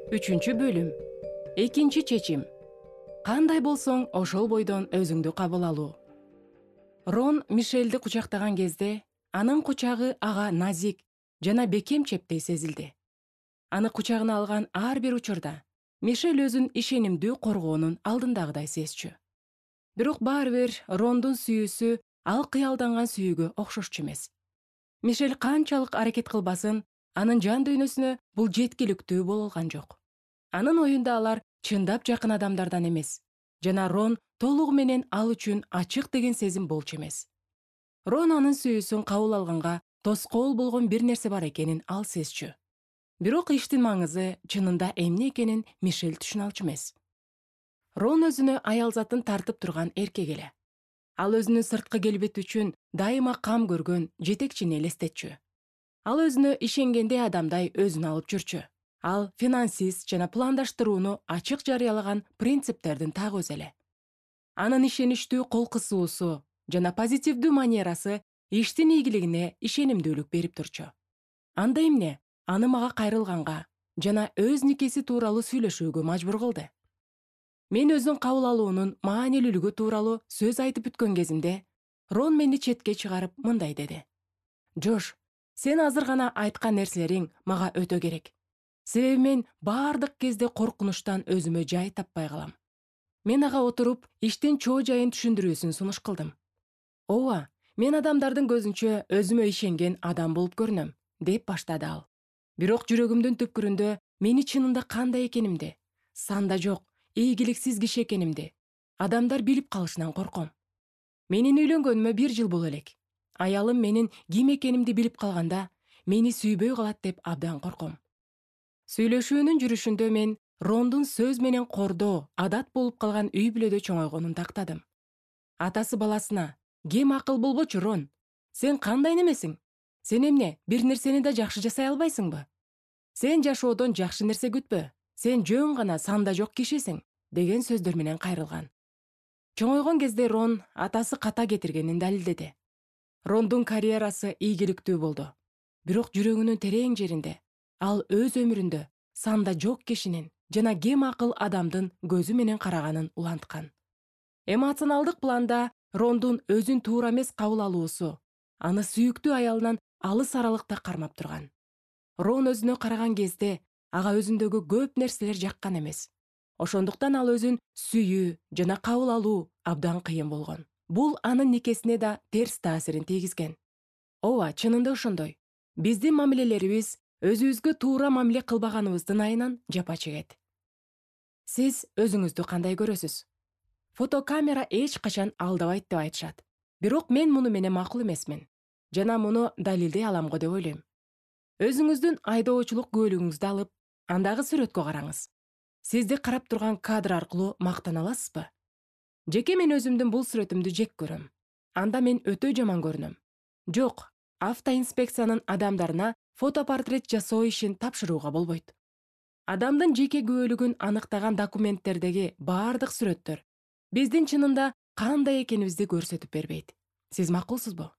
Үчүнчү бөлүм. Экинчи чечим. Кандай болсоң, ошол бойдон өзүңдү кабыл алуу. Рон Мишелди кучактаган кезде анын кучагы ага назик жана бекем чептей сезилди. Аны кучагына алган ар бир учурда Мишель өзүн ишенимдүү коргоонун алдындагыдай сезчү. Бирок баары бир Рондун сүйүүсү ал кыялданган сүйүүгө окшошчу эмес. Мишель канчалык аракет кылбасын, анын жан дүйнөсүнө бул жеткиликтүү боло алган жок. Анын оюнда алар чындап жакын адамдардан эмес, жана Рон толугу менен ал үчүн ачык деген сезим болчу эмес. Рон анын сүйүүсүн кабыл алганга тоскоол болгон бир нерсе бар экенин ал сезчү. Бирок иштин маңызы чынында эмне экенин Мишель түшүнө алчу эмес. Рон өзүнө аялзатын тартып турган эркек эле. Ал өзүнүн сырткы келбети үчүн дайыма кам көргөн жетекчини элестетчү. Ал өзүнө ишенгендей адамдай өзүн алып жүрчү. Ал финансист жана пландаштырууну ачык жарыялаган принциптердин так өзү эле. Анын ишеничтүү кол кысуусу жана позитивдүү манерасы иштин ийгилигине ишенимдүүлүк берип турчу. Анда эмне аны мага кайрылганга жана өз никеси тууралуу сүйлөшүүгө мажбур кылды. Мен өзүн кабыл алуунун маанилүүлүгү тууралуу сөз айтып бүткөн кезимде Рон мени четке чыгарып мындай деди: «Жош, сен азыр гана айткан нерселериң мага өтө керек. Себеби мен баардык кезде коркунучтан өзүмө жай таппай калам». Мен ага отуруп, иштин чоо жайын түшүндүрүүсүн сунуш кылдым. «Ооба, мен адамдардын көзүнчө өзүмө ишенген адам болуп көрүнөм», деп баштады ал. Бирок жүрөгүмдүн түпкүрүндө мени чынында кандай экенимди, санда жок, ийгиликсиз киши экенимди адамдар билип калышынан корком. Менин үйлөнгөнүмө 1 жыл боло элек. Аялым менин ким экенимди билип калганда, мени сүйбөй калат деп абдан корком. Сүйлөшүүнүн жүрүшүндө мен Рондун сөз менен кордоо адат болуп калган үй бүлөдө чоңойгонун тактадым. Атасы баласына: «Кем акыл болбочу, Рон. Сен кандай немесиң? Сен эмне бир нерсени да жакшы жасай албайсыңбы? Сен жашоодон жакшы нерсе күтпө. Сен жөн гана санда жок кишисиң», деген сөздөр менен кайрылган. Чоңойгон кезде Рон атасы ката кетиргенин далилдеди. Рондун карьерасы ийгиликтүү болду. Бирок жүрөгүнүн терең жеринде ал өз өмүрүндө санда жок кишинин жана кем акыл адамдын көзү менен караганын уланткан. Эмоционалдык планда Рондун өзүн туура эмес кабыл алуусу аны сүйүктүү аялынан алыс аралыкта кармап турган. Рон өзүнө караган кезде ага өзүндөгү көп нерселер жаккан эмес. Ошондуктан ал өзүн сүйүү жана кабыл алуу абдан кыйын болгон. Бул анын никесине да терс таасирин тийгизген. Ооба, чынында ошондой. Биздин мамилелерибиз өзүбүзгө туура мамиле кылбаганыбыздын айынан жапа чегет. Сиз өзүңүздү кандай көрөсүз? Фотокамера эч качан алдабайт деп айтышат. Бирок мен муну менен макул эмесмин жана муну далилдей алам го деп ойлойм. Өзүңүздүн айдоочулук күбөлүгүңүздү алып, андагы сүрөткө караңыз. Сизди карап турган кадр аркылуу мактана аласызбы? Жеке мен өзүмдүн бул сүрөтүмдү жек көрөм. Анда мен өтө жаман көрүнөм. Жок, автоинспекциянын адамдарына фотопортрет жасоо ишин тапшырууга болбойт. Адамдын жеке күбөлүгүн аныктаган документтердеги баардык сүрөттөр биздин чынында кандай экенибизди көрсөтүп бербейт. Сиз макулсузбу?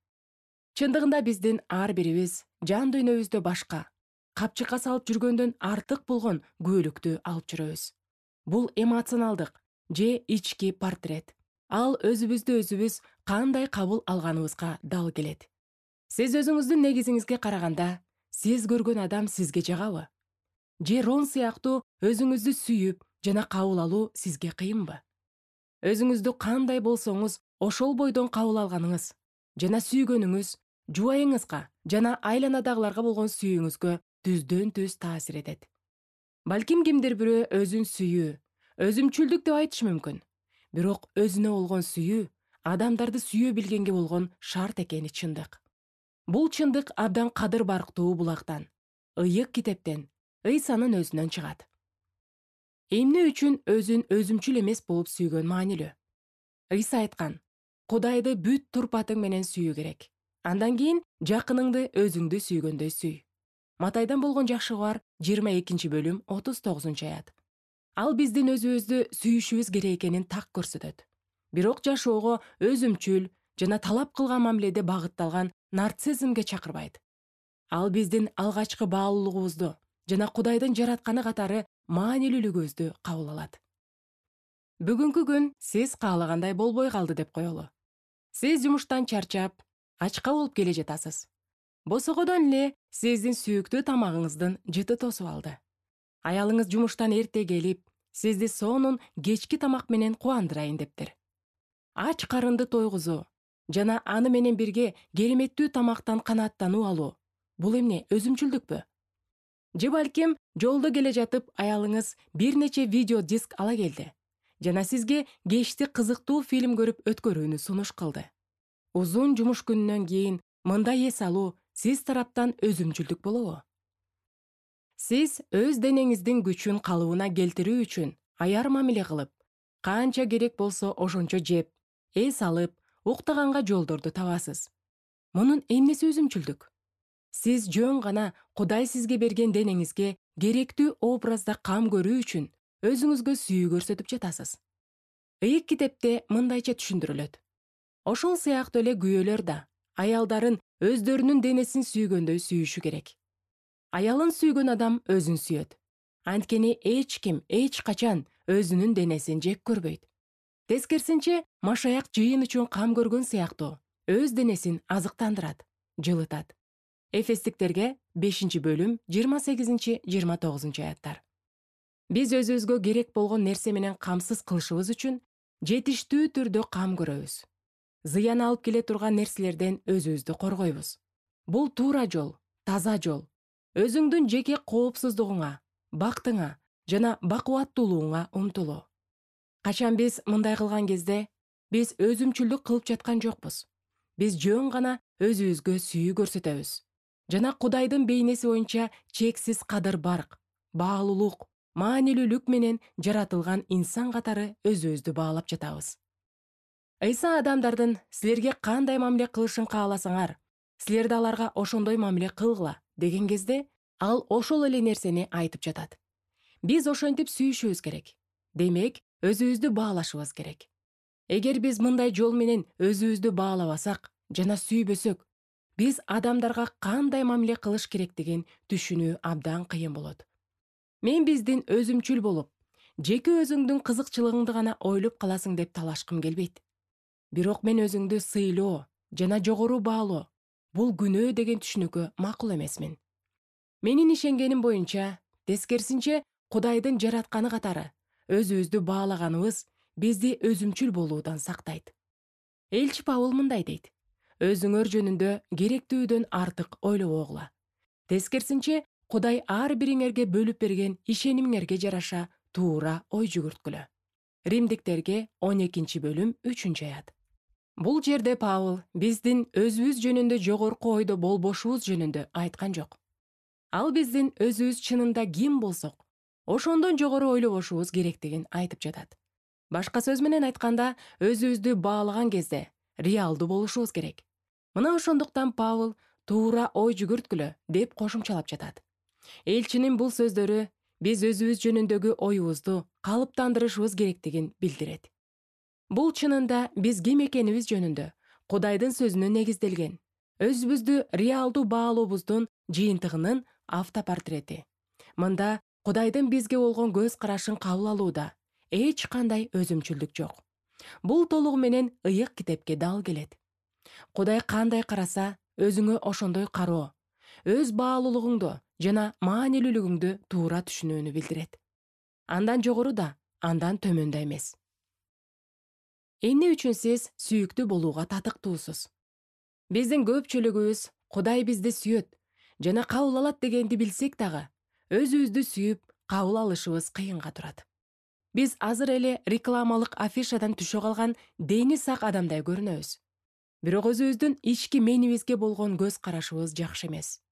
Чындыгында биздин ар бирибиз жан дүйнөбүздө башка, капчыкка салып жүргөндөн артык болгон күбөлүктү алып жүрөбүз. Бул эмоционалдык же ички портрет. Ал өзүбүздү өзүбүз кандай кабыл алганыбызга дал келет. Сиз өзүңүздүн негизиңизге караганда, сиз көргөн адам сизге жагабы? Же Рон сыяктуу өзүңүздү сүйүп жана кабыл алуу сизге кыйынбы? Өзүңүздү кандай болсоңуз, ошол бойдон кабыл алганыңыз жана сүйгөнүңүз жубайыңызга жана айланадагыларга болгон сүйүүңүзгө түздөн түз таасир этет. Балким кимдир бирөө өзүн сүйүү, өзүмчүлдүк деп айтышы мүмкүн. Бирок өзүнө болгон сүйүү адамдарды сүйө билгенге болгон шарт экени чындык. Бул чындык абдан кадыр барктуу булактан, ыйык китептен, Ыйсанын өзүнөн чыгат. Эмне үчүн өзүн өзүмчүл эмес болуп сүйгөн маанилүү? Ыйса айткан: «Кудайды бүт турпатың менен сүйүү керек. Андан кийин жакыныңды өзүңдү сүйгөндөй сүй». Матайдан болгон жакшы кабар 22 бөлүм 39 аят. Ал биздин өзүбүздү сүйүшүбүз керек экенин так көрсөтөт. Бирок жашоого өзүмчүл жана талап кылган мамиледе багытталган нарциссизмге чакырбайт. Ал биздин алгачкы баалуулугубузду жана Кудайдын жаратканы катары маанилүүлүгүбүздү кабыл алат. Бүгүнкү күн сиз каалагандай болбой калды деп коелу. Сиз жумуштан чарчап, ачка болуп келе жатасыз. Босогодон эле сиздин сүйүктүү тамагыңыздын жыты тосуп алды. Аялыңыз жумуштан эрте келип, сизди сонун кечки тамак менен кубандырайын дептир. Ач карынды тойгузуу жана аны менен бирге кереметтүү тамактан канааттануу алуу — бул эмне, өзүмчүлдүкпү? Же балким жолдо келе жатып аялыңыз бир нече видео диск ала келди жана сизге кечти кызыктуу фильм көрүп өткөрүүнү сунуш кылды. Узун жумуш күнүнөн кийин мындай эс алуу сиз тараптан өзүмчүлдүк болобу? Сиз өз денеңиздин күчүн калыбына келтирүү үчүн аяр мамиле кылып, канча керек болсо ошончо жеп, эс алып, уктаганга жолдорду табасыз. Мунун эмнеси өзүмчүлдүк? Сиз жөн гана Кудай сизге берген денеңизге керектүү образда кам көрүү үчүн өзүңүзгө сүйүү көрсөтүп жатасыз. Ыйык китепте мындайча түшүндүрүлөт. Ошол сыяктуу эле күйөөлөр да аялдарын өздөрүнүн денесин сүйгөндөй сүйүшү керек. Аялын сүйгөн адам өзүн сүйөт. Анткени эч ким эч качан өзүнүн денесин жек көрбөйт. Тескерисинче, машаяк жыйын үчүн кам көргөн сыяктуу өз денесин азыктандырат, жылытат. Эфестиктерге 5-бөлүм 28-29 аяттар. Биз өзүбүзгө керек болгон нерсе менен камсыз кылышыбыз үчүн жетиштүү түрдө кам көрөбүз. Зыян алып келе турган нерселерден өзүбүздү коргойбуз. Бул туура жол, таза жол. Өзүңдүн жеке коопсуздугуңа, бактыңа жана бакубаттуулугуңа умтулуу. Качан биз мындай кылган кезде, биз өзүмчүлдүк кылып жаткан жокпуз. Биз жөн гана өзүбүзгө сүйүү көрсөтөбүз. Жана Кудайдын бейнеси боюнча чексиз кадыр-барк, баалуулук, маанилүүлүк менен жаратылган инсан катары өзүбүздү баалап жатабыз. Ыйса адамдардын силерге кандай мамиле кылышын кааласаңар, силер да аларга ошондой мамиле кылгыла деген кезде, ал ошол эле нерсени айтып жатат. Биз ошентип сүйүшүбүз керек. Демек, өзүбүздү баалашыбыз керек. Эгер биз мындай жол менен өзүбүздү баалабасак жана сүйбөсөк, биз адамдарга кандай мамиле кылыш керектигин түшүнүү абдан кыйын болот. Мен биздин өзүмчүл болуп, жеке өзүңдүн кызыкчылыгыңды гана ойлоп каласың деп талашкым келбейт. Бирок мен өзүңдү сыйлоо жана жогору баалоо — бул күнөө деген түшүнүккө макул эмесмин. Менин ишенгеним боюнча, тескерисинче, Кудайдын жаратканы катары өзүбүздү баалаганыбыз бизди өзүмчүл болуудан сактайт. Элчи Павыл мындай дейт: өзүңөр жөнүндө керектүүдөн артык ойлобогула. Тескерисинче, Кудай ар бириңерге бөлүп берген ишенимиңерге жараша туура ой жүгүрткүлө. Римдиктерге 12-бөлүм 3-аят. Бул жерде Павыл биздин өзүбүз жөнүндө жогорку ойдо болбошубуз жөнүндө айткан жок. Ал биздин өзүбүз чынында ким болсок, ошондон жогору ойлобошубуз керектигин айтып жатат. Башка сөз менен айтканда, өзүбүздү баалаган кезде реалдуу болушубуз керек. Мына ошондуктан Павыл туура ой жүгүрткүлө деп кошумчалап жатат. Элчинин бул сөздөрү биз өзүбүз жөнүндөгү оюбузду калыптандырышыбыз керектигин билдирет. Бул чынында биз ким экенибиз жөнүндө Кудайдын сөзүнө негизделген, өзүбүздү реалдуу баалообуздун жыйынтыгынын автопортрети. Мында Кудайдын бизге болгон көз карашын кабыл алууда эч кандай өзүмчүлдүк жок. Бул толугу менен ыйык китепке дал келет. Кудай кандай караса, өзүңө ошондой кароо, өз баалуулугуңду жана маанилүүлүгүңдү туура түшүнүүнү билдирет. Андан жогору да, андан төмөн да эмес. Эмне үчүн сиз сүйүктүү болууга татыктуусуз? Биздин көпчүлүгүбүз Кудай бизди сүйөт жана кабыл алат дегенди билсек дагы, өзүбүздү сүйүп кабыл алышыбыз кыйынга турат. Биз азыр эле рекламалык афишадан түшө калган дени сак адамдай көрүнөбүз. Бирок өзүбүздүн ички менибизге болгон көз карашыбыз жакшы эмес.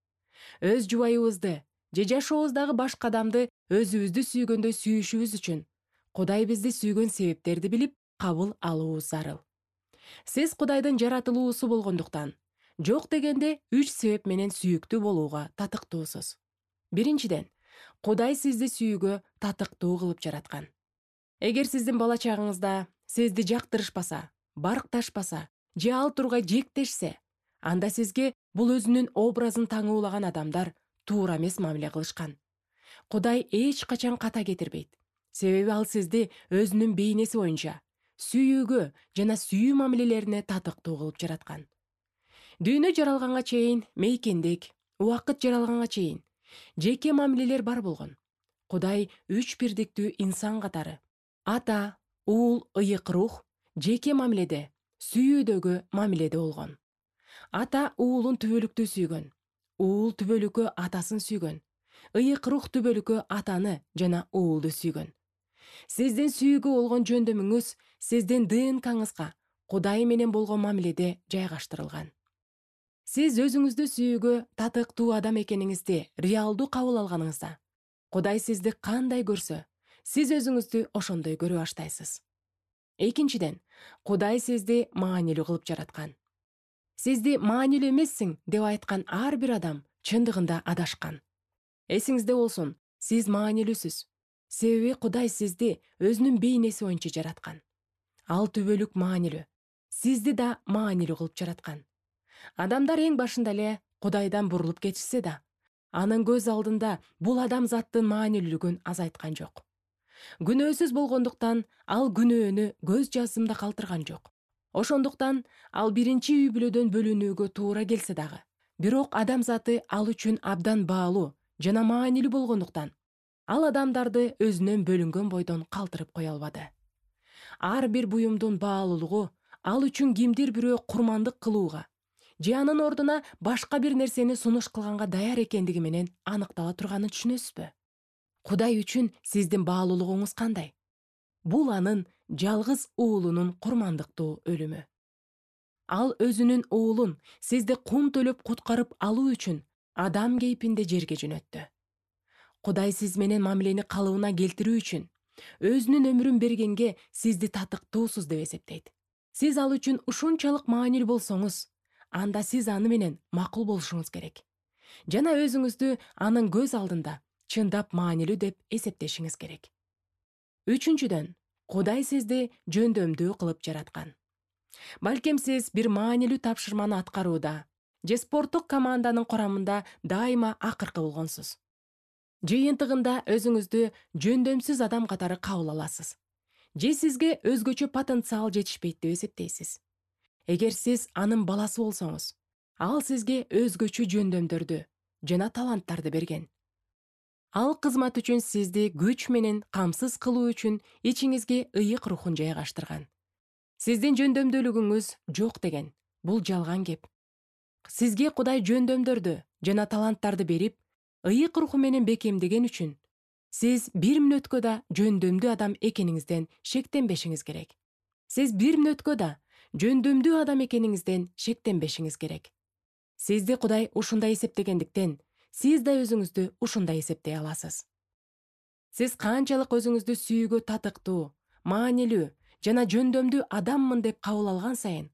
Өз жубайыбызды же жашообуздагы башка адамды өзүбүздү сүйгөндөй сүйүшүбүз үчүн Кудай бизди сүйгөн себептерди билип кабыл алуубуз зарыл. Сиз Кудайдын жаратылуусу болгондуктан, жок дегенде 3 себеп менен сүйүктүү болууга татыктуусуз. Биринчиден, Кудай сизди сүйүүгө татыктуу кылып жараткан. Эгер сиздин бала чагыңызда сизди жактырышпаса, баркташпаса же ал тургай жектешсе, анда сизге бул өзүнүн образын таңуулаган адамдар туура эмес мамиле кылышкан. Кудай эч качан ката кетирбейт. Себеби ал сизди өзүнүн бейнеси боюнча сүйүүгө жана сүйүү мамилелерине татыктуу кылып жараткан. Дүйнө жаралганга чейин мейкиндик, убакыт жаралганга чейин жеке мамилелер бар болгон. Кудай үч бирдиктүү инсан катары ата, уул, ыйык рух жеке мамиледе, сүйүүдөгү мамиледе болгон. Ата уулун түбөлүктүү сүйгөн, уул түбөлүккө атасын сүйгөн, ыйык рух түбөлүккө атаны жана уулду сүйгөн. Сиздин сүйүүгө болгон жөндөмүңүз сиздин ДНКңызга Кудай менен болгон мамиледе жайгаштырылган. Сиз өзүңүздү сүйүүгө татыктуу адам экениңизди реалдуу кабыл алганыңызда, Кудай сизди кандай көрсө, сиз өзүңүздү ошондой көрө баштайсыз. Экинчиден, Кудай сизди маанилүү кылып жараткан. Сизди маанилүү эмессиң деп айткан ар бир адам чындыгында адашкан. Эсиңизде болсун, сиз маанилүүсүз. Себеби Кудай сизди өзүнүн бейнеси боюнча жараткан. Ал түбөлүк маанилүү. Сизди да маанилүү кылып жараткан. Адамдар эң башында эле Кудайдан бурулуп кетишсе да, анын көз алдында бул адамзаттын маанилүүлүгүн азайткан жок. Күнөөсүз болгондуктан ал күнөөнү көз жазымда калтырган жок. Ошондуктан ал биринчи үй бүлөдөн бөлүнүүгө туура келсе дагы, бирок адамзаты ал үчүн абдан баалуу жана маанилүү болгондуктан, ал адамдарды өзүнөн бөлүнгөн бойдон калтырып кое албады. Ар бир буюмдун баалуулугу ал үчүн кимдир бирөө курмандык кылууга же анын ордуна башка бир нерсени сунуш кылганга даяр экендиги менен аныктала турганын түшүнөсүзбү? Кудай үчүн сиздин баалуулугуңуз кандай? Бул анын жалгыз уулунун курмандыктуу өлүмү. Ал өзүнүн уулун сизди кум төлөп куткарып алуу үчүн адам кейпинде жерге жөнөттү. Кудай сиз менен мамилени калыбына келтирүү үчүн өзүнүн өмүрүн бергенге сизди татыктуусуз деп эсептейт. Сиз ал үчүн ушунчалык маанилүү болсоңуз, анда сиз аны менен макул болушуңуз керек. Жана өзүңүздү анын көз алдында чындап маанилүү деп эсептешиңиз керек. Үчүнчүдөн, Кудай сизди жөндөмдүү кылып жараткан. Балким сиз бир маанилүү тапшырманы аткарууда же спорттук команданын курамында дайыма акыркы болгонсуз. Жыйынтыгында өзүңүздү жөндөмсүз адам катары кабыл аласыз. Же сизге өзгөчө потенциал жетишпейт деп эсептейсиз. Эгер сиз анын баласы болсоңуз, ал сизге өзгөчө жөндөмдөрдү жана таланттарды берген. Ал кызмат үчүн сизди күч менен камсыз кылуу үчүн ичиңизге ыйык рухун жайгаштырган. Сиздин жөндөмдүүлүгүңүз жок деген, бул жалган кеп. Сизге Кудай жөндөмдөрдү жана таланттарды берип, ыйык руху менен бекемдеген үчүн сиз бир мүнөткө да жөндөмдүү адам экениңизден шектенбешиңиз керек. Сиз бир мүнөткө да жөндөмдүү адам экениңизден шектенбешиңиз керек. Сизди Кудай ушундай эсептегендиктен, сиз да өзүңүздү ушундай эсептей аласыз. Сиз канчалык өзүңүздү сүйүүгө татыктуу, маанилүү жана жөндөмдүү адаммын деп кабыл алган сайын,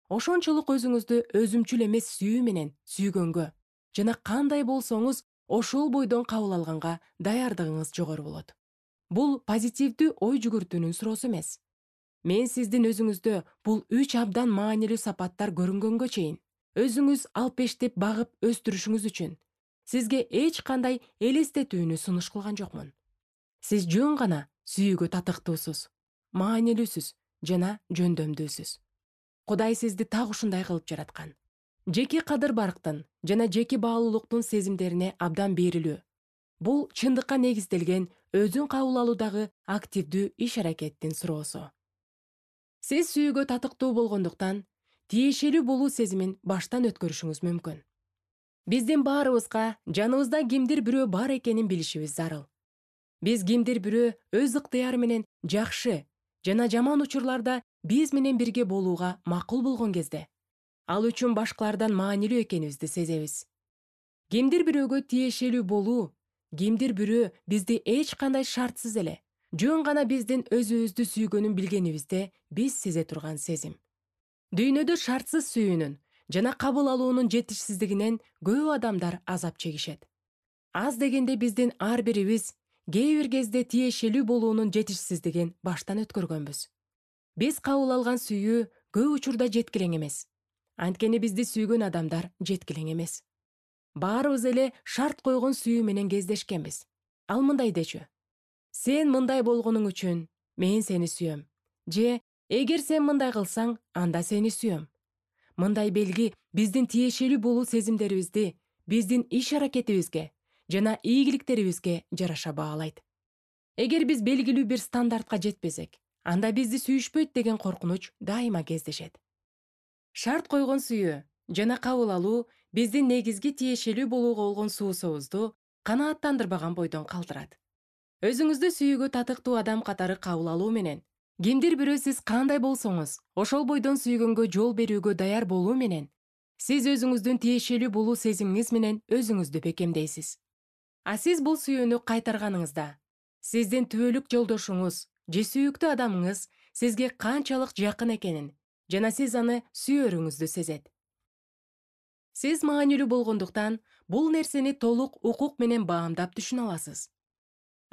ошончолук өзүңүздү өзүмчүл эмес сүйүү менен сүйгөнгө жана кандай болсоңуз ошол бойдон кабыл алганга даярдыгыңыз жогору болот. Бул позитивдүү ой жүгүртүүнүн суроосу эмес. Мен сиздин өзүңүздө бул үч абдан маанилүү сапаттар көрүнгөнгө чейин өзүңүз алпештеп багып өстүрүшүңүз үчүн сизге эч кандай элестетүүнү сунуш кылган жокмун. Сиз жөн гана сүйүүгө татыктуусуз, маанилүүсүз жана жөндөмдүүсүз. Кудай сизди так ушундай кылып жараткан. Жеке кадыр-барктын жана жеке баалуулуктун сезимдерине абдан берилүү. Бул чындыкка негизделген өзүн кабыл алуудагы активдүү иш-аракеттин суроосу. Сиз сүйүүгө татыктуу болгондуктан, тиешелүү болуу сезимин баштан өткөрүшүңүз мүмкүн. Биздин баарыбызга жаныбызда кимдир бирөө бар экенин билишибиз зарыл. Биз кимдир бирөө өз ыктыяры менен жакшы жана жаман учурларда биз менен бирге болууга макул болгон кезде, ал үчүн башкалардан маанилүү экенибизди сезебиз. Кимдир бирөөгө тиешелүү болуу, кимдир бирөө бизди эч кандай шартсыз эле, жөн гана биздин өзүбүздү сүйгөнүн билгенибизде биз сезе турган сезим. Дүйнөдө шартсыз сүйүүнүн жана кабыл алуунун жетишсиздигинен көп адамдар азап чегишет. Аз дегенде биздин ар бирибиз кээ бир кезде тиешелүү болуунун жетишсиздигин баштан өткөргөнбүз. Биз кабыл алган сүйүү көп учурда жеткилең эмес. Анткени бизди сүйгөн адамдар жеткилең эмес. Баарыбыз эле шарт койгон сүйүү менен кездешкенбиз. ал мындай дечү: сен мындай болгонуң үчүн мен сени сүйөм, же эгер сен мындай кылсаң, анда сени сүйөм. Мындай белги биздин тиешелүү болуу сезимдерибизди биздин иш-аракетибизге жана ийгиликтерибизге жараша баалайт. Эгер биз белгилүү бир стандартка жетпесек, анда бизди сүйүшпөйт деген коркунуч дайыма кездешет. Шарт койгон сүйүү жана кабыл алуу биздин негизги тиешелүү болууга болгон суусубузду канааттандырбаган бойдон калтырат. Өзүңүздү сүйүүгө татыктуу адам катары кабыл алуу менен кимдир бирөө сиз кандай болсоңуз, ошол бойдон сүйгөнгө жол берүүгө даяр болуу менен сиз өзүңүздүн тиешелүү болуу сезимиңиз менен өзүңүздү бекемдейсиз. А сиз бул сүйүүнү кайтарганыңызда сиздин түбөлүк жолдошуңуз же сүйүктүү адамыңыз сизге канчалык жакын экенин жана сиз аны сүйөрүңүздү сезет. Сиз маанилүү болгондуктан бул нерсени толук укук менен баамдап түшүнө аласыз.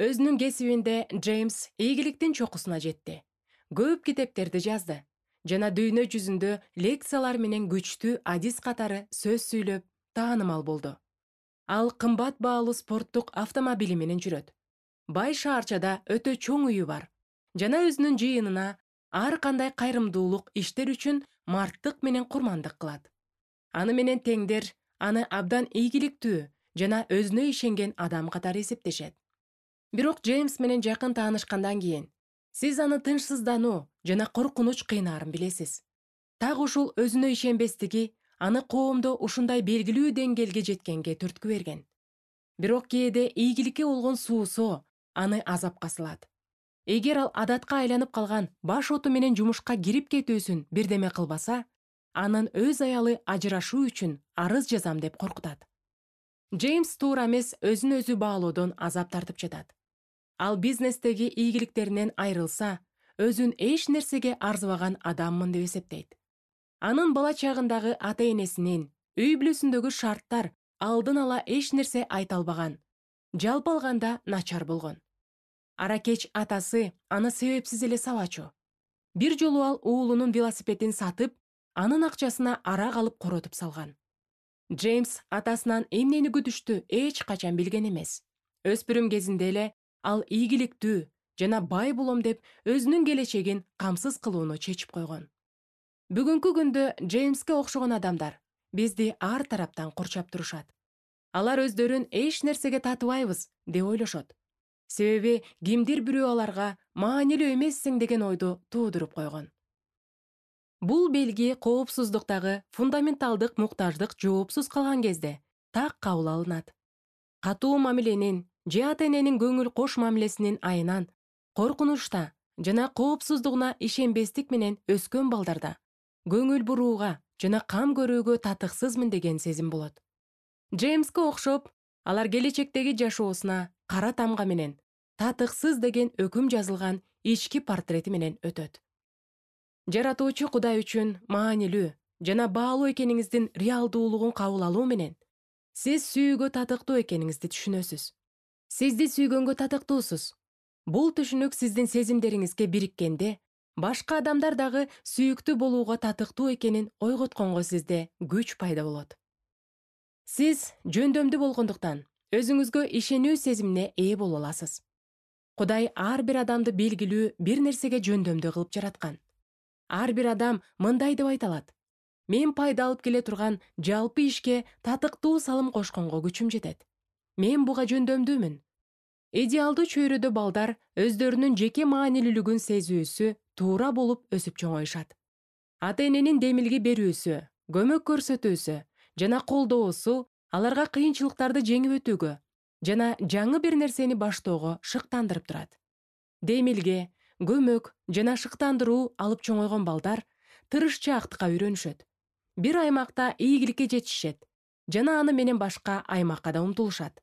Өзүнүн кесибинде Джеймс ийгиликтин чокусуна жетти. Көп китептерди жазды жана дүйнө жүзүндө лекциялар менен күчтүү адис катары сөз сүйлөп, таанымал болду. Ал кымбат баалуу спорттук автомобили менен жүрөт. Бай шаарчада өтө чоң үйү бар жана өзүнүн жыйынына ар кандай кайрымдуулук иштер үчүн марттык менен курмандык кылат. Аны менен теңдер аны абдан ийгиликтүү жана өзүнө ишенген адам катары эсептешет. Бирок Джеймс менен жакын таанышкандан кийин сиз аны тынчсыздануу жана коркунуч кыйнаарын билесиз. Так ушул өзүнө ишенбестиги аны коомдо ушундай белгилүү деңгээлге жеткенге түрткү берген. Бирок кээде ийгиликке болгон суусоо аны азапка салат. Эгер ал адатка айланып калган баш оту менен жумушка кирип кетүүсүн бирдеме кылбаса, анын өз аялы ажырашуу үчүн арыз жазам деп коркутат. Джеймс туура эмес өзүн өзү баалоодон азап тартып жатат. Ал бизнестеги ийгиликтеринен айрылса, өзүн эч нерсеге арзыбаган адаммын деп эсептейт. Анын бала чагындагы ата-энесинин үй бүлөсүндөгү шарттар алдын ала эч нерсе айта албаган. Жалпы алганда начар болгон. Аракеч атасы аны себепсиз эле сабачу. Бир жолу ал уулунун велосипедин сатып, анын акчасына арак алып коротуп салган. Джеймс атасынан эмнени күтүштү эч качан билген эмес. Өспүрүм кезинде эле ал ийгиликтүү жана бай болом деп өзүнүн келечегин камсыз кылууну чечип койгон. Бүгүнкү күндө Джеймске окшогон адамдар бизди ар тараптан курчап турушат. Алар өздөрүн эч нерсеге татыбайбыз деп ойлошот. Себеби кимдир бирөө аларга маанилүү эмессиң деген ойду туудуруп койгон. Бул белги коопсуздуктагы фундаменталдык муктаждык жоопсуз калган кезде так кабыл алынат. Катуу мамиленин же ата-эненин көңүл кош мамилесинин айынан коркунучта жана коопсуздугуна ишенбестик менен өскөн балдарда көңүл бурууга жана кам көрүүгө татыксызмын деген сезим болот. Джеймске окшоп, алар келечектеги жашоосуна кара тамга менен татыксыз деген өкүм жазылган ички портрети менен өтөт. Жаратуучу Кудай үчүн маанилүү жана баалуу экениңиздин реалдуулугун кабыл алуу менен сиз сүйүүгө татыктуу экениңизди түшүнөсүз. Сизди сүйгөнгө татыктуусуз. Бул түшүнүк сиздин сезимдериңизге бириккенде, башка адамдар дагы сүйүктүү болууга татыктуу экенин ойготконго сизде күч пайда болот. Сиз жөндөмдүү болгондуктан өзүңүзгө ишенүү сезимине ээ боло аласыз. Кудай ар бир адамды белгилүү бир нерсеге жөндөмдүү кылып жараткан. Ар бир адам мындай деп айта алат: мен пайда алып келе турган жалпы ишке татыктуу салым кошконго күчүм жетет. Мен буга жөндөмдүүмүн. Идеалдуу чөйрөдө балдар өздөрүнүн жеке маанилүүлүгүн сезүүсү туура болуп өсүп чоңоюшат. Ата-эненин демилги берүүсү, көмөк көрсөтүүсү жана колдоосу аларга кыйынчылыктарды жеңип өтүүгө жана жаңы бир нерсени баштоого шыктандырып турат. Демилге, көмөк жана шыктандыруу алып чоңойгон балдар тырышчаактыкка үйрөнүшөт. Бир аймакта ийгиликке жетишет жана аны менен башка аймакка да умтулушат.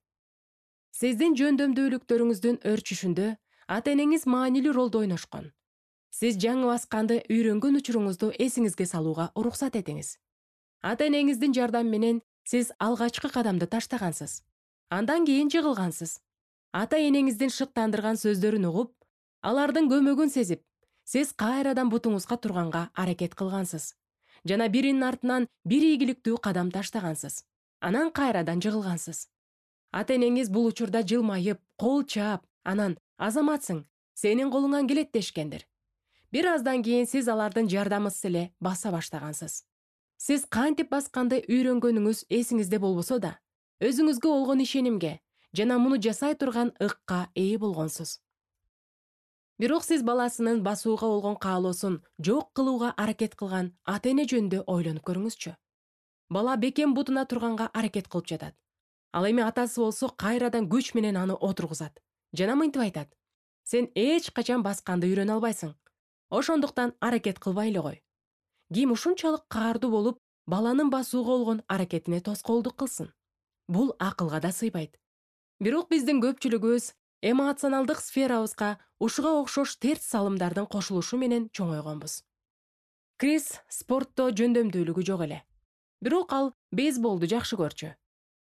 Сиздин жөндөмдүүлүктөрүңүздүн өрчүшүндө ата-энеңиз маанилүү ролду ойношкон. Сиз жаңы басканды үйрөнгөн учуруңузду эсиңизге салууга уруксат этиңиз. Ата-энеңиздин жардамы менен сиз алгачкы кадамды таштагансыз. Андан кийин жыгылгансыз. Ата-энеңиздин шыктандырган сөздөрүн угуп, алардын көмөгүн сезип, сиз кайрадан бутуңузга турганга аракет кылгансыз. Жана биринин артынан бир ийгиликтүү кадам таштагансыз. Анан кайрадан жыгылгансыз. Ата энеңиз бул учурда жылмайып, кол чаап, анан азаматсың, сенин колуңан келет дешкендир. Бир аздан кийин сиз алардын жардамысыз эле баса баштагансыз. Сиз кантип басканды үйрөнгөнүңүз эсиңизде болбосо да, өзүңүзгө болгон ишенимге жана муну жасай турган ыкка ээ болгонсуз. Бирок сиз баласынын басууга болгон каалоосун жок кылууга аракет кылган ата эне жөнүндө ойлонуп көрүңүзчү. Бала бекем бутуна турганга аракет кылып жатат. Ал эми атасы болсо кайрадан күч менен аны отургузат жана мынтип айтат: сен эч качан басканды үйрөнө албайсың. Ошондуктан аракет кылбай эле кой. Ким ушунчалык каардуу болуп, баланын басууга болгон аракетине тоскоолдук кылсын? Бул акылга да сыйбайт. Бирок биздин көпчүлүгүбүз эмоционалдык сферабызга ушуга окшош терс салымдардын кошулушу менен чоңойгонбуз. Крис спортто жөндөмдүүлүгү жок эле. Бирок ал бейсболду жакшы көрчү.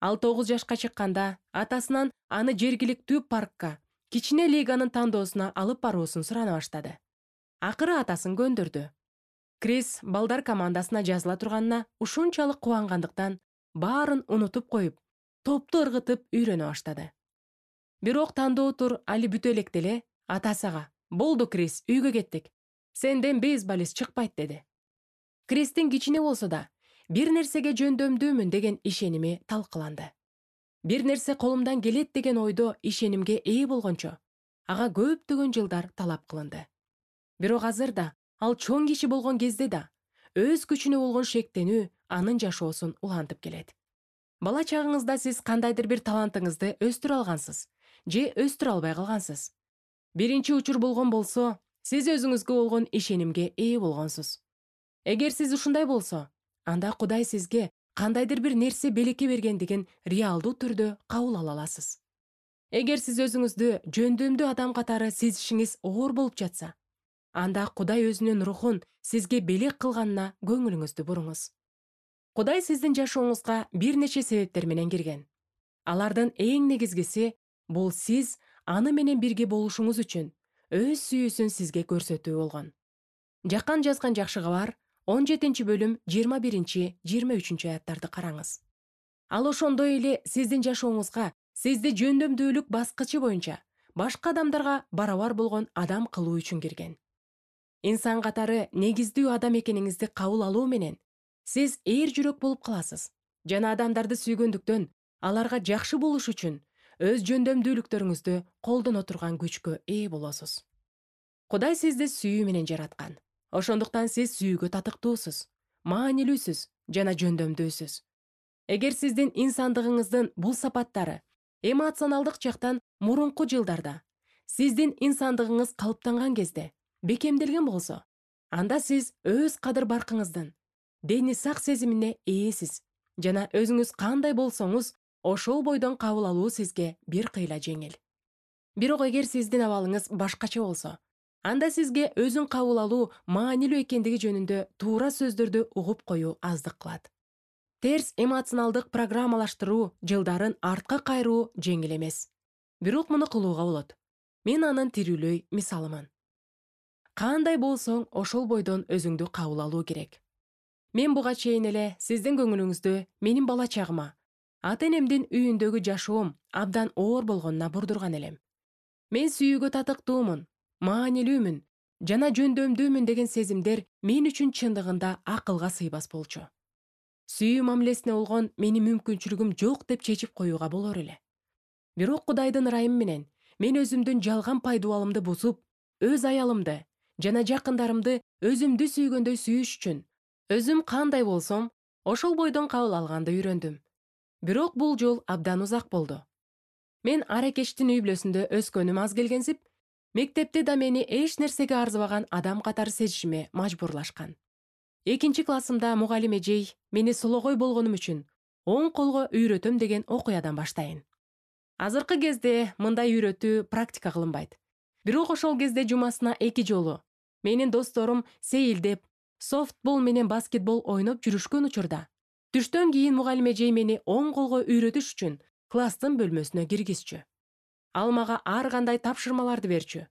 Ал 9 жашка чыкканда атасынан аны жергиликтүү паркка, кичине лиганын тандоосуна алып баруусун сурана баштады. Акыры атасын көндүрдү. Крис балдар командасына жазыла турганына ушунчалык кубангандыктан баарын унутуп коюп, топту ыргытып үйрөнө баштады. Бирок тандоо тур али бүтө электе эле атасы ага: "Болду, Крис, үйгө кеттик. Сенден бейсболист чыкпайт" деди. Кристин кичине болсо да бир нерсеге жөндөмдүүмүн деген ишеними талкаланды. Бир нерсе колумдан келет деген ойдо ишенимге ээ болгончо, ага көптөгөн жылдар талап кылынды. Бирок азыр да, ал чоң киши болгон кезде да, өз күчүнө болгон шектенүү анын жашоосун улантып келет. Бала чагыңызда сиз кандайдыр бир талантыңызды өстүрө алгансыз же өстүрө албай калгансыз. Биринчи учур болгон болсо, сиз өзүңүзгө болгон ишенимге ээ болгонсуз. Эгер сиз ушундай болсо, анда Кудай сизге кандайдыр бир нерсе белекке бергендигин реалдуу түрдө кабыл ала аласыз. Эгер сиз өзүңүздү жөндөмдүү адам катары сезишиңиз оор болуп жатса, анда Кудай өзүнүн рухун сизге белек кылганына көңүлүңүздү буруңуз. Кудай сиздин жашооңузга бир нече себептер менен кирген. Алардын эң негизгиси бул сиз аны менен бирге болушуңуз үчүн өз сүйүүсүн сизге көрсөтүү болгон. Жакан жазган жакшы кабар 17 бөлүм 21-23 аяттарды караңыз. Ал ошондой эле сиздин жашооңузга сизди жөндөмдүүлүк баскычы боюнча башка адамдарга барабар болгон адам кылуу үчүн кирген. Инсан катары негиздүү адам экениңизди кабыл алуу менен сиз ээр жүрөк болуп каласыз жана адамдарды сүйгөндүктөн аларга жакшы болуш үчүн өз жөндөмдүүлүктөрүңүздү колдоно турган күчкө ээ болосуз. Кудай сизди сүйүү менен жараткан. Ошондуктан сиз сүйүүгө татыктуусуз, маанилүүсүз жана жөндөмдүүсүз. Эгер сиздин инсандыгыңыздын бул сапаттары эмоционалдык жактан мурунку жылдарда сиздин инсандыгыңыз калыптанган кезде бекемделген болсо, анда сиз өз кадыр-баркыңыздын дени сак сезимине ээсиз жана өзүңүз кандай болсоңуз, ошол бойдон кабыл алуу сизге бир кыйла жеңил. Бирок эгер сиздин абалыңыз башкача болсо, анда сизге өзүн кабыл алуу маанилүү экендиги жөнүндө туура сөздөрдү угуп коюу аздык кылат. Терс эмоционалдык программалаштыруу жылдарын артка кайруу жеңил эмес. Бирок муну кылууга болот. Мен анын тирүүлөй мисалымын. Кандай болсоң, ошол бойдон өзүңдү кабыл алуу керек. Мен буга чейин эле сиздин көңүлүңүздү менин бала чагыма, ата энемдин үйүндөгү жашоом абдан оор болгонуна бурдурган элем. Мен сүйүүгө татыктуумун, маанилүүмүн жана жөндөмдүүмүн деген сезимдер мен үчүн чындыгында акылга сыйбас болчу. Сүйүү мамилесине болгон менин мүмкүнчүлүгүм жок деп чечип коюуга болор эле. Бирок Кудайдын ырайымы менен мен өзүмдүн жалган пайдубалымды бузуп, өз аялымды жана жакындарымды өзүмдү сүйгөндөй сүйүш үчүн өзүм кандай болсом, ошол бойдон кабыл алганды үйрөндүм. Бирок бул жол абдан узак болду. Мен Аракештин үй бүлөсүндө өскөнүм аз келгенсип, мектепте да мени эч нерсеге арзыбаган адам катары сезишиме мажбурлашкан. 2-классымда мугалим эжей мени сологой болгонум үчүн оң колго үйрөтөм деген окуядан баштайын. Азыркы кезде мындай үйрөтүү практика кылынбайт. Бирок ошол кезде жумасына 2 жолу менин досторум сейилдеп, софтбол менен баскетбол ойноп жүрүшкөн учурда, түштөн кийин мугалим эжей мени оң колго үйрөтүш үчүн класстын бөлмөсүнө киргизчү. Ал мага ар кандай тапшырмаларды берчү.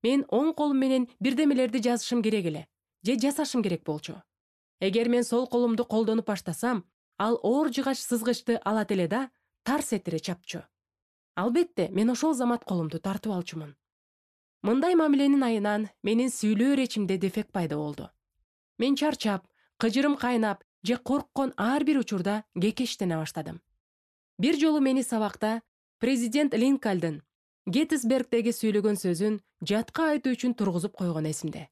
Мен оң колум менен бирдемелерди жазышым керек эле, же жасашым керек болчу. Эгер мен сол колумду колдонуп баштасам, ал оор жыгач сызгычты алат эле да тарс этире чапчу. Албетте, мен ошол замат колумду тартып алчумун. Мындай мамиленин айынан менин сүйлөө речимде дефект пайда болду. Мен чарчап, кыжырым кайнап же корккон ар бир учурда кекештене баштадым. Бир жолу мени сабакта президент Линкольн Геттисбергдеги сүйлөгөн сөзүн жатка айтуу үчүн тургузуп койгон эсимде.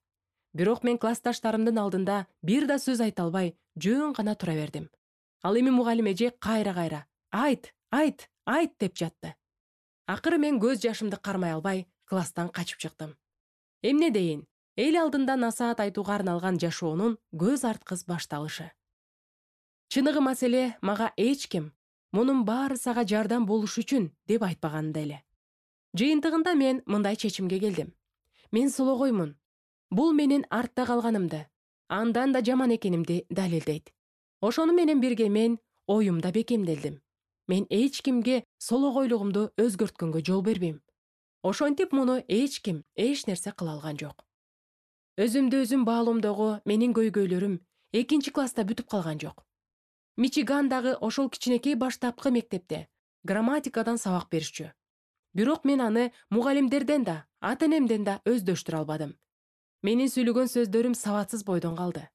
Бирок мен классташтарымдын алдында бир да сөз айта албай, жөн гана тура бердим. Ал эми мугалим эже кайра айт деп жатты. Акыры мен көз жашымды кармай албай, класстан качып чыктым. Эмне дейин, эл алдында насаат айтууга арналган жашоонун көз арткыс башталышы. Чыныгы маселе мага эч ким мунун баары сага жардам болуш үчүн деп айтпаганда эле. Жыйынтыгында мен мындай чечимге келдим. Мен сологоймун. Бул менин артта калганымды, андан да жаман экенимди далилдейт. Ошону менен бирге мен оюмда бекемделдим. Мен эч кимге сологойлугумду өзгөрткөнгө жол бербейм. Ошентип муну эч ким эч нерсе кыла алган жок. Өзүмдү өзүм баалоомдогу менин көйгөйлөрүм 2-класста бүтүп калган жок. Мичигандагы ошол кичинекей баштапкы мектепте грамматикадан сабак беришчү. Бирок мен аны мугалимдерден да, ата-энемден да өздөштүрө албадым. Менин сүйлөгөн сөздөрүм сабатсыз бойдон калды.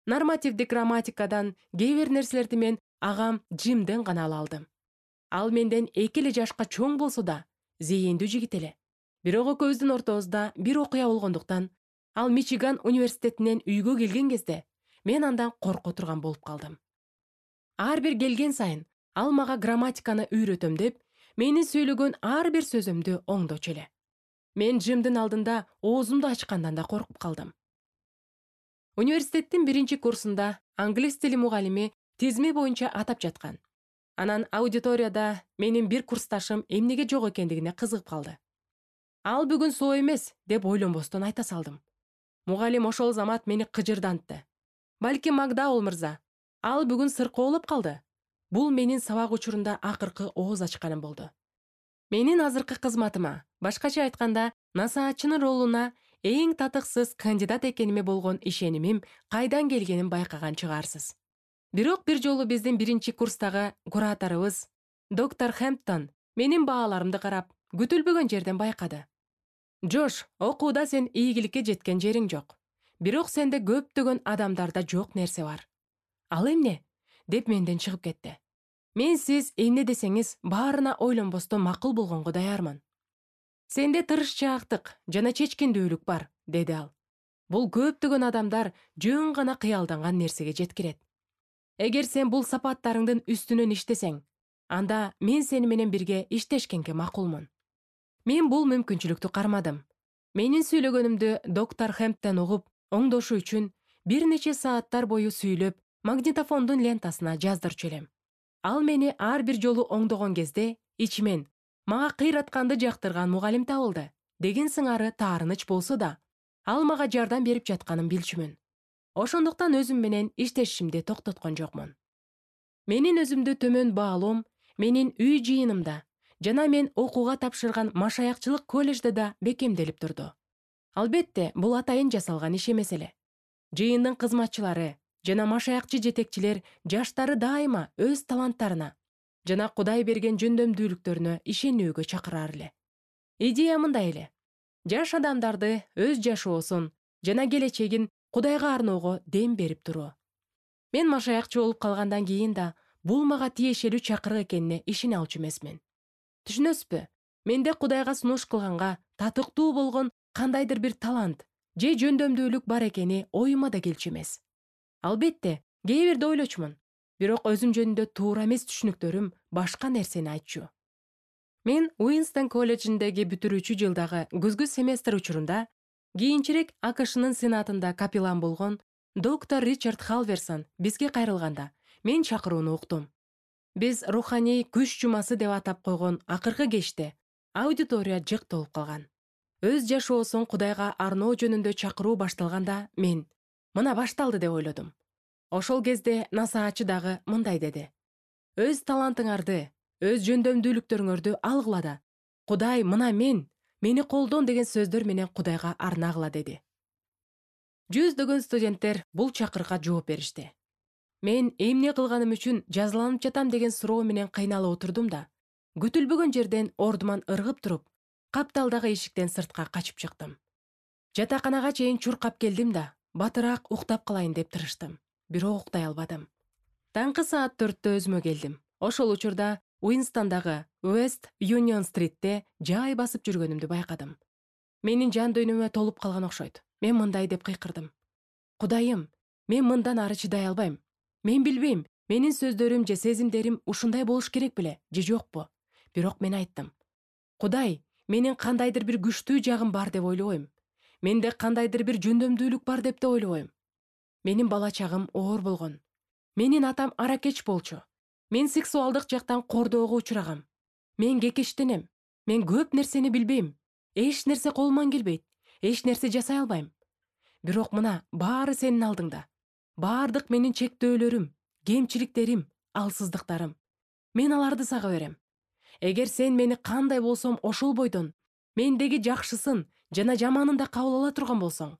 Нормативдик грамматикадан кээ бир нерселерди мен агам Джимден гана ала алдым. Ал менден 2 эле жашка чоң болсо да, зээндүү жигит эле. Бирок экөөбүздүн ортобузда бир окуя болгондуктан, ал Мичиган университетинен үйгө келген кезде мен андан корко турган болуп калдым. Ар бир келген сайын ал мага грамматиканы үйрөтөм деп, менин сүйлөгөн ар бир сөзүмдү оңдочу эле. Мен Джимдин алдында оозумду ачкандан да коркуп калдым. Университеттин 1-курсунда англис тили мугалими тизме боюнча атап жаткан. Анан аудиторияда менин бир курсташым эмнеге жок экендигине кызыгып калды. Ал бүгүн соо эмес деп ойлонбостон айта салдым. Мугалим ошол замат мени кыжырдантты. Балким Макдаул мырза, ал бүгүн сыркоолоп калды. Бул менин сабак учурунда акыркы ооз ачканым болду. Менин азыркы кызматыма, башкача айтканда, насаатчынын ролуна эң татыксыз кандидат экениме болгон ишенимим кайдан келгенин байкаган чыгарсыз. Бирок бир жолу биздин 1-курстагы кураторубуз, доктор Хэмптон, менин бааларымды карап, күтүлбөгөн жерден байкады. Джош, окууда сен ийгиликке жеткен жериң жок. Бирок сенде көптөгөн адамдарда жок нерсе бар. Ал эмне? Деп менден чыгып кетти. Мен сиз эмне десеңиз баарына ойлонбостон макул болгонго даярмын. Сенде тырышчаактык жана чечкиндүүлүк бар, деди ал. Бул көптөгөн адамдар жөн гана кыялданган нерсеге жеткирет. Эгер сен бул сапаттарыңдын үстүнөн иштесең, анда мен сени менен бирге иштешкенге макулмун. Мен бул мүмкүнчүлүктү кармадым. Менин сүйлөгөнүмдү доктор Хэмптон угуп, оңдошу үчүн бир нече сааттар бою сүйлөп, магнитофондун лентасына жаздырчу элем. Ал мени ар бир жолу оңдогон кезде ичимен мага кыйратканды жактырган мугалим табылды деген сыңары таарыныч болсо да, ал мага жардам берип жатканын билчүмүн. Ошондуктан өзүм менен иштешимди токтоткон жокмун. Менин өзүмдү төмөн баалоом менин үй жыйынымда жана мен окууга тапшырган машаякчылык колледжде да бекемделип турду. Албетте, бул атайын жасалган иш эмес эле. Жыйындын кызматчылары жана машаякчы жетекчилер жаштары дайыма өз таланттарына жана Кудай берген жөндөмдүүлүктөрүнө ишенүүгө чакырар эле. Идея мындай эле. Жаш адамдарды өз жашоосун жана келечегин Кудайга арноого дем берип туруу. Мен машаякчы болуп калгандан кийин да бул мага тиешелүү чакырык экенине ишене алчу эмесмин. Түшүнөсүзбү? Менде Кудайга сунуш кылганга татыктуу болгон кандайдыр бир талант же жөндөмдүүлүк бар экени оюма да келчү эмес. Албетте, кээ бирде ойлочумун, бирок өзүм жөнүндө туура эмес түшүнүктөрүм башка нерсени айтчу. Мен Уинстон колледжиндеги бүтүрүүчү жылдагы күзгү семестр учурунда кийинчерээк АКШнын сенатында капеллан болгон доктор Ричард Халверсон бизге кайрылганда мен чакырууну уктум. Биз руханий күч жумасы деп атап койгон акыркы кечте аудитория жык толуп калган. Өз жашоосун Кудайга арноо жөнүндө чакыруу башталганда мен мына башталды деп ойлодум. Ошол кезде насаатчы дагы мындай деди. Өз талантыңарды, өз жөндөмдүүлүктөрүңөрдү алгыла да, Кудай мына мени колдон деген сөздөр менен Кудайга арнагыла деди. Жүздөгөн студенттер бул чакырыкка жооп беришти. Мен эмне кылганым үчүн жазаланып жатам деген суроо менен кыйналып отурдум да, Күтүлбөгөн жерден ордуман ыргып туруп, капталдагы эшиктен сыртка качып чыктым. Жатаканага чейин чуркап келдим да, батыраак уктап калайын деп тырыштым. Бирок уктай албадым. Таңкы саат 4-тө өзүмө келдим. Ошол учурда Уинстондагы West Union Street'те жай басып жүргөнүмдү байкадым. Менин жан дүйнөмө толуп калган окшойт. Мен мындай деп кыйкырдым. Кудайым, мен мындан ары чыдай албайм. Мен билбейм, менин сөздөрүм же сезимдерим ушундай болуш керек беле, же жокпу? Бирок мен айттым. Кудай, менин кандайдыр бир күчтүү жагым бар деп ойлойм. Менде кандайдыр бир жөндөмдүүлүк бар деп да ойлойм. Менин бала чагым оор болгон. Менин атам аракеч болчу. Мен сексуалдык жактан кордоого учурагам. Мен кекештенем. Мен көп нерсени билбейм. Эч нерсе колуман келбейт. Эч нерсе жасай албайм. Бирок мына баары сенин алдыңда. Баардык менин чектөөлөрүм, кемчиликтерим, алсыздыктарым. Мен аларды сага берем. Эгер сен мени кандай болсом ошол бойдон, мендеги жакшысын жана жаманын да кабыл ала турган болсоң,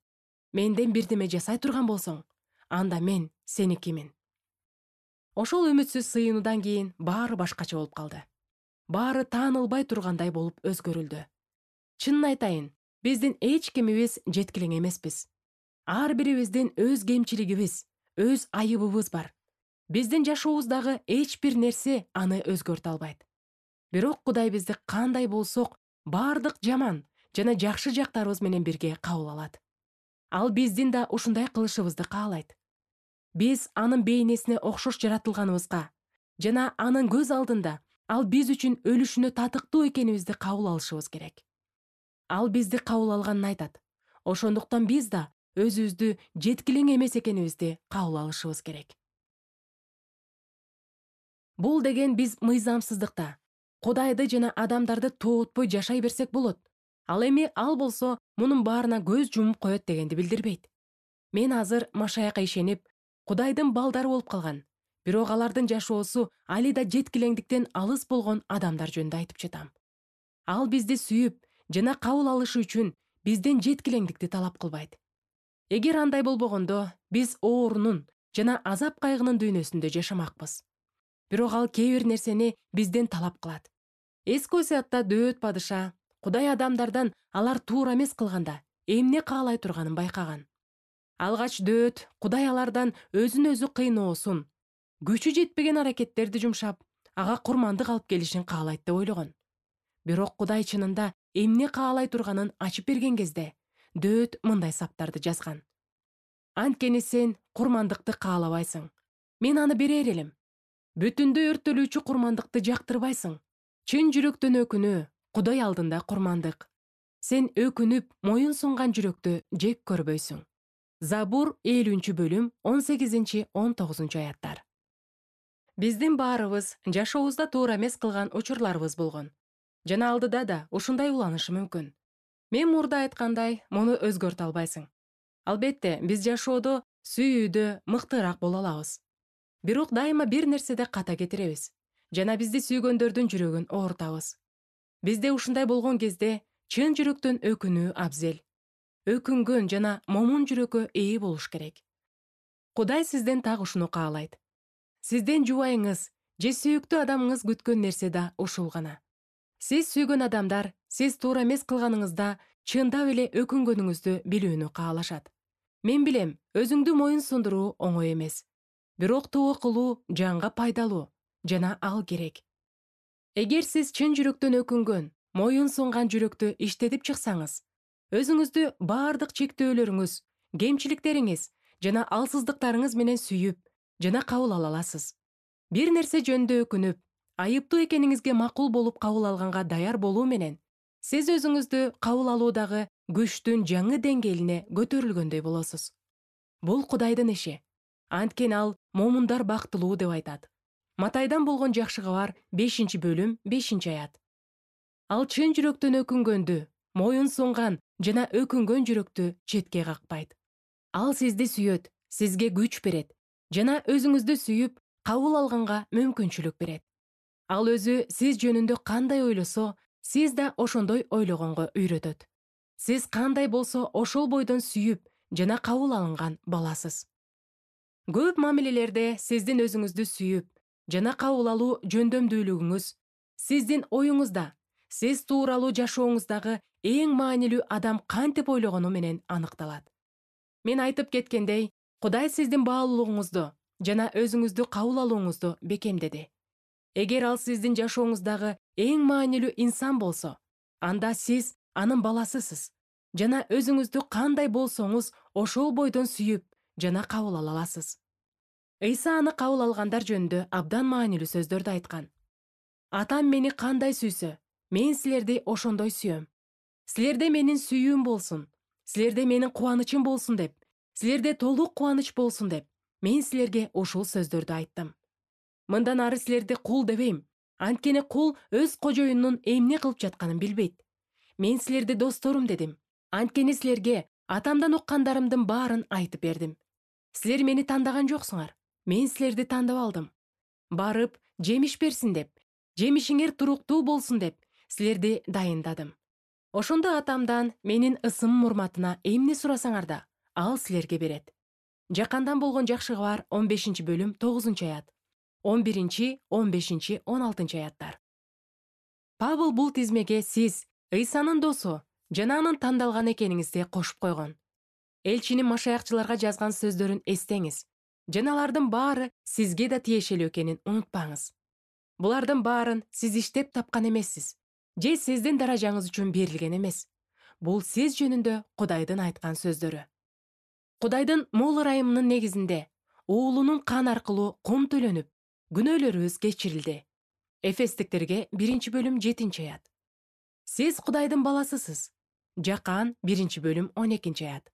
менден бирдеме жасай турган болсоң, анда мен сеникимин. Ошол үмүтсүз сыйынуудан кийин баары башкача болуп калды. Баары таанылбай тургандай болуп өзгөрүлдү. Чынын айтайын, биздин эч кимибиз жеткилең эмеспиз. Ар бирибиздин өз кемчилигибиз, өз айыбыбыз бар. Биздин жашообуздагы эч бир нерсе аны өзгөртө албайт. Бирок Кудай бизди кандай болсок, баардык жаман жана жакшы жактарыбыз менен бирге кабыл алат. Ал биздин да ушундай кылышыбызды каалайт. Биз анын бейнесине окшош жаратылганыбызга жана анын көз алдында ал биз үчүн өлүшүнө татыктуу экенибизди кабыл алышыбыз керек. Ал бизди кабыл алганын айтат. Ошондуктан биз да өзүбүздү жеткилең эмес экенибизди кабыл алышыбыз керек. Бул деген биз мыйзамсыздыкта, Кудайды жана адамдарды тоотпой жашай берсек болот. Ал эми ал болсо мунун баарына көз жумуп коет дегенди билдирбейт. Мен азыр Машаякка ишенип, Кудайдын балдары болуп калган, бирок алардын жашоосу али да жеткилеңдиктен алыс болгон адамдар жөнүндө айтып жатам. Ал бизди сүйүп жана кабыл алышы үчүн бизден жеткилеңдикти талап кылбайт. Эгер андай болбогондо, биз оорунун жана азап кайгынын дүйнөсүндө жашамакпыз. Бирок ал кээ бир нерсени бизден талап кылат. Эски Осуятта Дөөт падыша Кудай адамдардан алар туура эмес кылганда эмне каалай турганын байкаган. Алгач Дөөт Кудай алардан өзүн өзү кыйноосун, күчү жетпеген аракеттерди жумшап, ага курмандык алып келишин каалайт деп ойлогон. Бирок Кудай чынында эмне каалай турганын ачып берген кезде, Дөөт мындай саптарды жазган. Анткени сен курмандыкты каалабайсың. Мен аны берер элем. Бүтүндөй өрттөлүүчү курмандыкты жактырбайсың. Чын жүрөктөн өкүнүү, Кудай алдында курмандык. Сен өкүнүп, моюн сунган жүрөктү жек көрбөйсүң. Забур 50-бөлүм 18-19 аяттар. Биздин баарыбыз жашообузда туура эмес кылган учурларыбыз болгон. Жана алдыда да ушундай уланышы мүмкүн. Мен мурда айткандай, муну өзгөртө албайсың. Албетте, биз жашоодо сүйүүдө мыктыраак боло алабыз. Бирок дайыма бир нерседе ката кетиребиз. Жана бизди сүйгөндөрдүн жүрөгүн оорутабыз. Бизде ушундай болгон кезде чын жүрөктөн өкүнүү абзел. Өкүнгөн жана момун жүрөккө ээ болуш керек. Кудай сизден так ушуну каалайт. Сизден жубайыңыз же сүйүктүү адамыңыз күткөн нерсе да ушул гана. Сиз сүйгөн адамдар сиз туура эмес кылганыңызда чындап эле өкүнгөнүңүздү билүүнү каалашат. Мен билем, өзүңдү моюн сундуруу оңой эмес. Бирок тоо кылуу жанга пайдалуу жана ал керек. Эгер сиз чын жүрөктөн өкүнгөн, моюн сунган жүрөктү иштетип чыксаңыз, өзүңүздү баардык чектөөлөрүңүз, кемчиликтериңиз жана алсыздыктарыңыз менен сүйүп жана кабыл ала аласыз. Бир нерсе жөнүндө өкүнүп, айыптуу экениңизге макул болуп кабыл алганга даяр болуу менен, сиз өзүңүздү кабыл алуудагы күчтүн жаңы деңгээлине көтөрүлгөндөй болосуз. Бул Кудайдын иши. Анткени ал момундар бактылуу деп айтат. Матайдан болгон жакшы кабар 5-бөлүм 5-аят. Ал чын жүрөктөн өкүнгөндү, моюн сунган жана өкүнгөн жүрөктү четке какпайт. Ал сизди сүйөт, сизге күч берет жана өзүңүздү сүйүп, кабыл алганга мүмкүнчүлүк берет. Ал өзү сиз жөнүндө кандай ойлосо, сиз да ошондой ойлогонго үйрөтөт. Сиз кандай болсо ошол бойдон сүйүп жана кабыл алынган баласыз. Көп мамилелерде сиздин өзүңүздү сүйүп жана кабыл алуу жөндөмдүүлүгүңүз, Сиздин оюңузда, сиз тууралуу жашооңуздагы эң маанилүү адам кантип ойлогону менен аныкталат. Мен айтып кеткендей, Кудай сиздин баалуулугуңузду жана өзүңүздү кабыл алууңузду бекемдеди. Эгер ал сиздин жашооңуздагы эң маанилүү инсан болсо, анда сиз анын баласысыз жана өзүңүздү кандай болсоңуз ошол бойдон сүйүп жана кабыл ала аласыз. Ыйса аны кабыл алгандар жөнүндө абдан маанилүү сөздөрдү айткан. Атам мени кандай сүйсө, мен силерди ошондой сүйөм. Силерде менин сүйүүм болсун, силерде менин кубанычым болсун деп, силерде толук кубаныч болсун деп, мен силерге ушул сөздөрдү айттым. Мындан ары силерди кул дебейм, анткени кул өз кожоюнунун эмне кылып жатканын билбейт. Мен силерди досторум дедим, анткени силерге атамдан уккандарымдын баарын айтып бердим. Силер мени тандаган жоксуңар, мен силерди тандап алдым. Барып, жемиш берсин деп, жемишиңер туруктуу болсун деп, силерди дайындадым. Ошондо атамдан менин ысымым урматына эмне сурасаңар да, ал силерге берет. Жакандан болгон жакшы кабар 15-бөлүм 9-аят. 11-15-16 аяттар. Павыл бул тизмеге сиз Ыйсанын досу жана анын тандалган экениңизди кошуп койгон. Элчинин машаякчыларга жазган сөздөрүн эстеңиз, жана алардын баары сизге да тиешелүү экенин унутпаңыз. Булардын баарын сиз иштеп тапкан эмессиз, же сиздин даражаңыз үчүн берилген эмес. Бул сиз жөнүндө Кудайдын айткан сөздөрү. Кудайдын мол ырайымынын негизинде уулунун каны аркылуу кум төлөнүп, күнөөлөрүбүз кечирилди. Эфестиктерге 1-бөлүм 7-аят. Сиз Кудайдын баласысыз. Жакан 1-бөлүм 12-аят.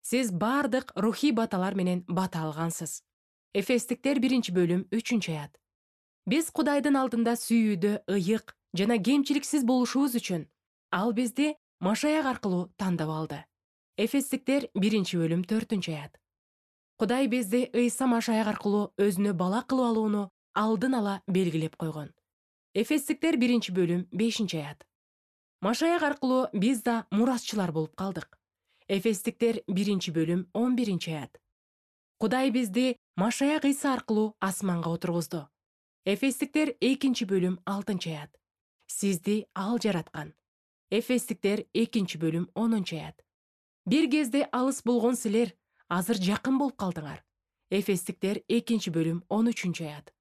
Сиз бардык рухий баталар менен бата алгансыз. Эфестиктер 1-бөлүм 3-аят. Биз Кудайдын алдында сүйүүдө ыйык жана кемчиликсиз болушубуз үчүн ал бизди Машаяк аркылуу тандап алды. Эфестиктер 1-бөлүм 4-аят. Кудай бизди Ыйса Машаяк аркылуу өзүнө бала кылып алууну алдын ала белгилеп койгон. Эфестиктер 1-бөлүм 5-аят. Машаяк аркылуу биз да мурасчылар болуп калдык. Эфестиктер 1-бөлүм 11-аят. Кудай бизди Машаяк Ыйса аркылуу асманга отургузду. Эфестиктер 2-бөлүм 6-аят. Сизди ал жараткан. Эфестиктер 2-бөлүм 10-аят. Бир кезде алыс болгон силер азыр жакын болуп калдыңар. Эфестиктер 2-бөлүм 13-аят.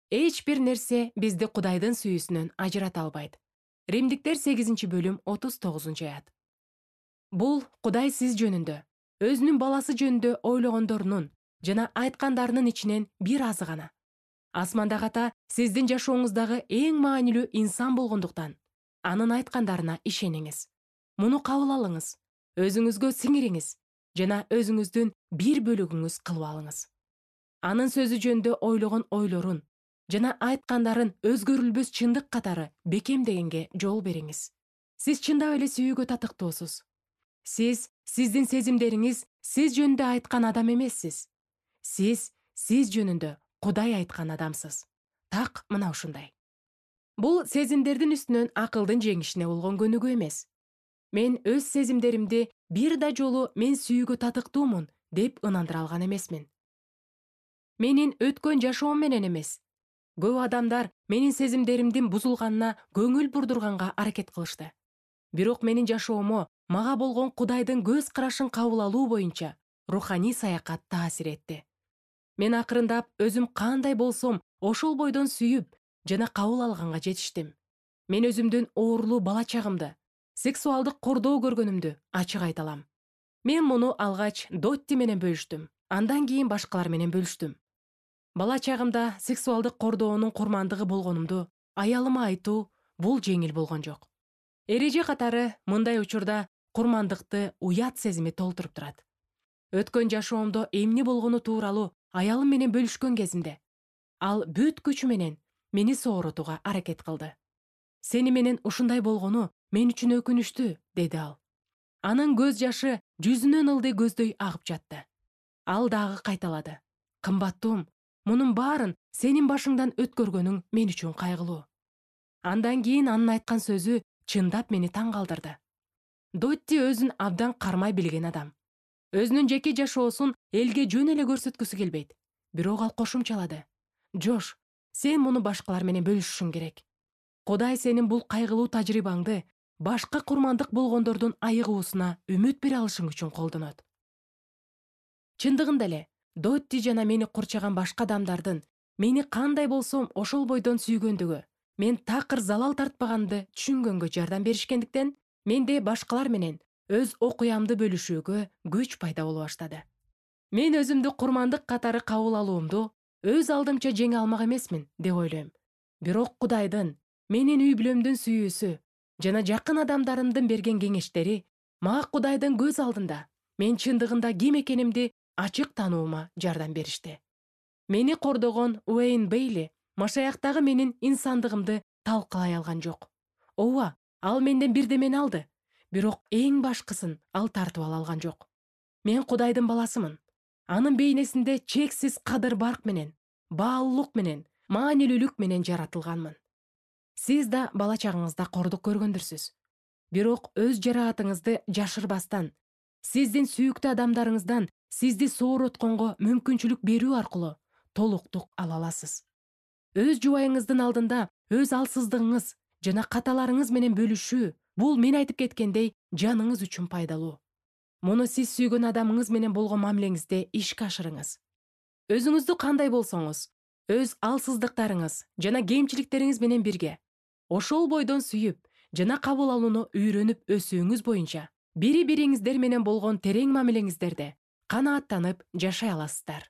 Эч бир нерсе бизди Кудайдын сүйүүсүнөн ажырата албайт. Римдиктер 8-бөлүм 39-аят. Бул Кудай сиз жөнүндө, өзүнүн баласы жөнүндө ойлогондорунун жана айткандарынын ичинен бир азы гана. Асмандагы ата сиздин жашооңуздагы эң маанилүү инсан болгондуктан, анын айткандарына ишениңиз. Муну кабыл алыңыз, өзүңүзгө сиңириңиз жана өзүңүздүн бир бөлүгүңүз кылып алыңыз. Анын сөзү жөнүндө ойлогон ойлорун жана айткандарын өзгөрүлбөс чындык катары бекемдегенге жол бериңиз. Сиз чындап эле сүйүүгө татыктуусуз. Сиздин сезимдериңиз сиз жөнүндө айткан адам эмессиз. Сиз жөнүндө Кудай айткан адамсыз. Так мына ушундай. Бул сезимдердин үстүнөн акылдын жеңишине болгон көнүгүү эмес. Мен өз сезимдеримди бир да жолу мен сүйүүгө татыктуумун деп ынандыра алган эмесмин. Менин өткөн жашоом менен эмес. Көп адамдар менин сезимдеримдин бузулганына көңүл бурдурганга аракет кылышты. Бирок менин жашоомо мага болгон Кудайдын көз карашын кабыл алуу боюнча руханий саякат таасир этти. Мен акырындап өзүм кандай болсом, ошол бойдон сүйүп жана кабыл алганга жетиштим. Мен өзүмдүн оорулуу бала чагымды, сексуалдык кордоо көргөнүмдү ачык айта алам. Мен муну алгач Дотти менен бөлүштүм, андан кийин башкалар менен бөлүштүм. Бала чагымда сексуалдык кордоонун курмандыгы болгонумду аялыма айтуу бул жеңил болгон жок. Эреже катары мындай учурда курмандыкты уят сезими толтуруп турат. Өткөн жашоомдо эмне болгону тууралуу аялым менен бөлүшкөн кезимде ал бүт күчү менен мени сооротууга аракет кылды. Сени менен ушундай болгону мен үчүн өкүнүчтүү, деди ал. Анын көз жашы жүзүнөн ылдый көздөй агып жатты. Ал дагы кайталады. Кымбаттуум, мунун баарын сенин башыңдан өткөргөнүң мен үчүн кайгылуу. Андан кийин анын айткан сөзү чындап мени таң калтырды. Дотти өзүн абдан кармай билген адам. Өзүнүн жеке жашоосун элге жөн эле көрсөткүсү келбейт. Бирок ал кошумчалады. Жош, сен муну башкалар менен бөлүшүшүң керек. Кудай сенин бул кайгылуу тажрыйбаңды башка курмандык болгондордун айыгуусуна үмүт бере алышың үчүн колдонот. Чындыгында эле Дотти жана мени курчаган башка адамдардын мени кандай болсом ошол бойдон сүйгөндүгү, мен такыр залал тартпаганды түшүнгөнгө жардам беришкендиктен менде башкалар менен өз окуямды бөлүшүүгө күч пайда боло баштады. Мен өзүмдү курмандык катары кабыл алуумду өз алдымча жеңе алмак эмесмин деп ойлойм. Бирок Кудайдын, менин үй бүлөмдүн сүйүүсү жана жакын адамдарымдын берген кеңештери мага Кудайдын көз алдында мен чындыгында ким экенимди ачык таануума жардам беришти. Мени кордогон Уэйн Бейли Машаяктагы менин инсандыгымды талкалай алган жок. Ооба, ал менден бирдемени алды, бирок эң башкысын ал тартып ала алган жок. Мен Кудайдын баласымын. Анын бейнесинде чексиз кадыр-барк менен, баалуулук менен, маанилүүлүк менен жаратылганмын. Сиз да бала чагыңызда кордук көргөндүрсүз. Бирок өз жараатыңызды жашырбастан, сиздин сүйүктүү адамдарыңыздан сизди сооротконго мүмкүнчүлүк берүү аркылуу толуктук ала аласыз. Өз жубайыңыздын алдында өз алсыздыгыңыз жана каталарыңыз менен бөлүшүү бул мен айтып кеткендей жаныңыз үчүн пайдалуу. Муну сиз сүйгөн адамыңыз менен болгон мамилеңизде ишке ашырыңыз. Өзүңүздү кандай болсоңуз, өз алсыздыктарыңыз жана кемчиликтериңиз менен бирге ошол бойдон сүйүп жана кабыл алууну үйрөнүп өсүүңүз боюнча бири-бириңиздер менен болгон терең мамилеңиздерде канааттанып жашай аласыздар.